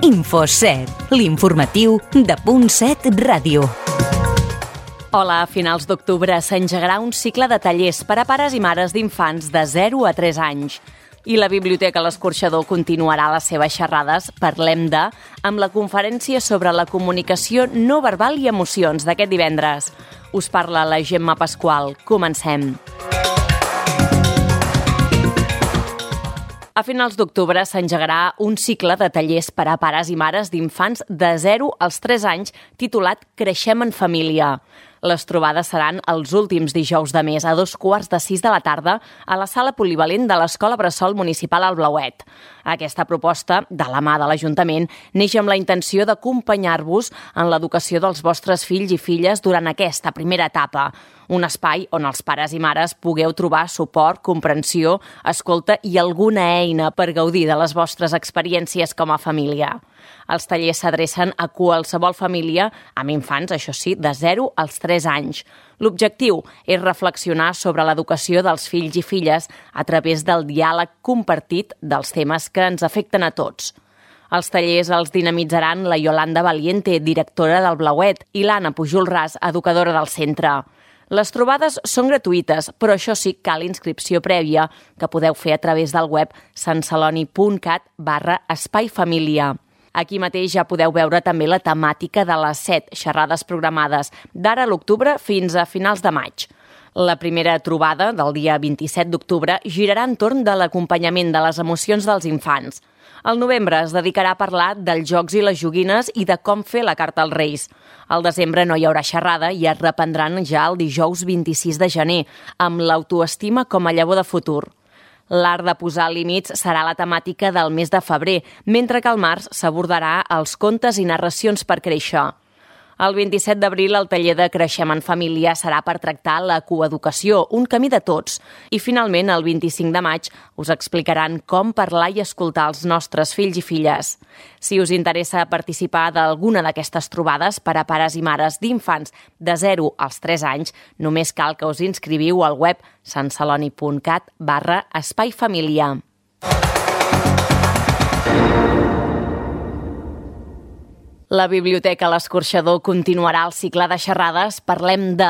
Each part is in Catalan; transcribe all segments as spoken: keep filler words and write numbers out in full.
InfoSet, l'informatiu de Punt set Ràdio. Hola, a finals d'octubre s'engegarà un cicle de tallers per a pares i mares d'infants de zero a tres anys. I la Biblioteca L'Escorxador continuarà les seves xerrades Parlem de, amb la conferència sobre la comunicació no verbal i emocions d'aquest divendres. Us parla la Gemma Pasqual. Comencem. A finals d'octubre s'engegarà un cicle de tallers per a pares i mares d'infants de zero als tres anys titulat Creixem en família. Les trobades seran els últims dijous de mes a dos quarts de sis de la tarda a la sala polivalent de l'Escola Bressol Municipal al Blauet. Aquesta proposta, de la mà de l'Ajuntament, neix amb la intenció d'acompanyar-vos en l'educació dels vostres fills i filles durant aquesta primera etapa. Un espai on els pares i mares pugueu trobar suport, comprensió, escolta i alguna eina per gaudir de les vostres experiències com a família. Els tallers s'adrecen a qualsevol família, amb infants, això sí, de zero als tres anys. L'objectiu és reflexionar sobre l'educació dels fills i filles a través del diàleg compartit dels temes que ens afecten a tots. Els tallers els dinamitzaran la Yolanda Valiente, directora del Blauet, i l'Anna Pujol-Ras, educadora del centre. Les trobades són gratuïtes, però això sí, cal inscripció prèvia, que podeu fer a través del web santceloni.cat barra espai família. Aquí mateix ja podeu veure també la temàtica de les set xerrades programades d'ara a l'octubre fins a finals de maig. La primera trobada, del dia vint-i-set d'octubre, girarà entorn de l'acompanyament de les emocions dels infants. Al novembre es dedicarà a parlar dels jocs i les joguines i de com fer la carta als Reis. Al desembre no hi haurà xerrada i es reprendran ja el dijous vint-i-sis de gener, amb l'autoestima com a llavor de futur. L'art de posar límits serà la temàtica del mes de febrer, mentre que al març s'abordarà els contes i narracions per créixer. El vint-i-set d'abril el taller de Creixem en família serà per tractar la coeducació, un camí de tots. I finalment, el vint-i-cinc de maig, us explicaran com parlar i escoltar els nostres fills i filles. Si us interessa participar d'alguna d'aquestes trobades per a pares i mares d'infants de zero als tres anys, només cal que us inscriviu al web santceloni.cat barra espai família. La Biblioteca L'Escorxador continuarà el cicle de xerrades Parlem de,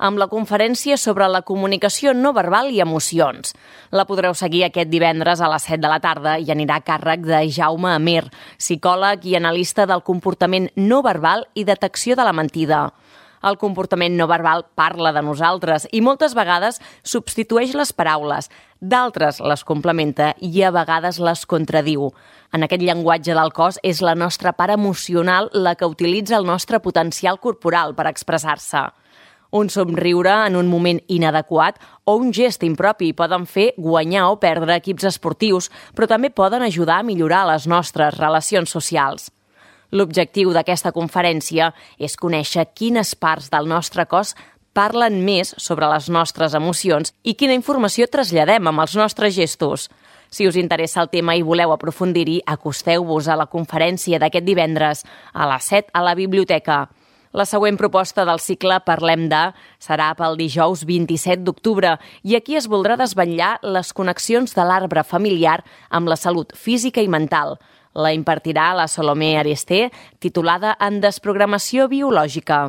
amb la conferència sobre la comunicació no verbal i emocions. La podreu seguir aquest divendres a les set de la tarda i anirà a càrrec de Jaume Amer, psicòleg i analista del comportament no verbal i detecció de la mentida. El comportament no verbal parla de nosaltres i moltes vegades substitueix les paraules, d'altres les complementa i a vegades les contradiu. En aquest llenguatge del cos és la nostra part emocional la que utilitza el nostre potencial corporal per expressar-se. Un somriure en un moment inadequat o un gest impropi poden fer guanyar o perdre equips esportius, però també poden ajudar a millorar les nostres relacions socials. L'objectiu d'aquesta conferència és conèixer quines parts del nostre cos parlen més sobre les nostres emocions i quina informació traslladem amb els nostres gestos. Si us interessa el tema i voleu aprofundir-hi, acosteu-vos a la conferència d'aquest divendres a les set a la biblioteca. La següent proposta del cicle Parlem de serà pel dijous vint-i-set d'octubre i aquí es voldrà desvetllar les connexions de l'arbre familiar amb la salut física i mental. La impartirà la Salomé Aresté, titulada En desprogramació biològica.